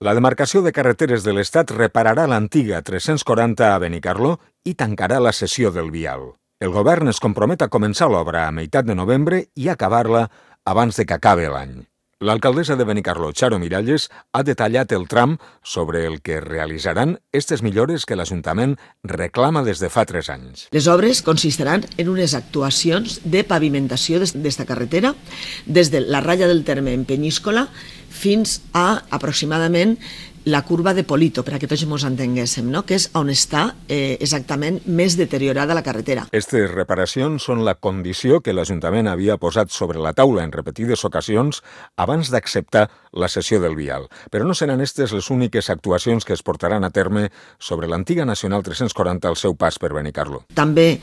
La demarcació de carreteres de l'Estat repararà l'antiga 340 a Benicarló i tancarà la cessió del vial. El govern es compromet a començar l'obra a meitat de novembre i acabar-la abans de que acabi l'any. L'alcaldessa de Benicarló, Charo Miralles, ha detallat el tram sobre el que realitzaran aquestes millores que l'Ajuntament reclama des de fa 3 anys. Les obres consistiran en unes actuacions de pavimentació d'esta carretera des de la ratlla del terme en Penyíscola fins a aproximadament la curva de Polito, per a que tots ens entenguéssim, no? Que és on està exactament més deteriorada la carretera. Aquestes reparacions són la condició que l'Ajuntament havia posat sobre la taula en repetides ocasions abans d'acceptar la cessió del vial. Però no seran aquestes les úniques actuacions que es portaran a terme sobre l'antiga Nacional 340 al seu pas per Benicarló. També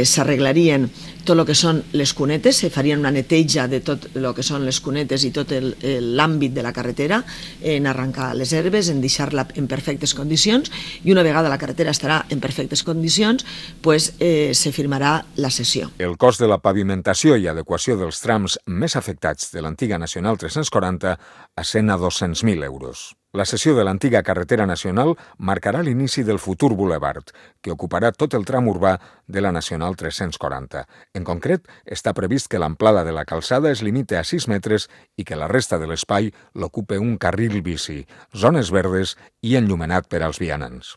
s'arreglarien tot el que són les cunetes, se farien una neteja de tot el que són les cunetes i tot l'àmbit de la carretera, en arrencar les herbes, en deixar-la en perfectes condicions, i una vegada la carretera estarà en perfectes condicions, se firmarà la cessió. El cost de la pavimentació i adequació dels trams més afectats de l'antiga Nacional 340 ascén a 200.000 euros. La cessió de l'antiga carretera nacional marcarà l'inici del futur bulevard, que ocuparà tot el tram urbà de la Nacional 340. En concret, està previst que l'amplada de la calçada es limite a 6 metres i que la resta de l'espai l'ocupe un carril bici, zones verdes i enllumenat per als vianants.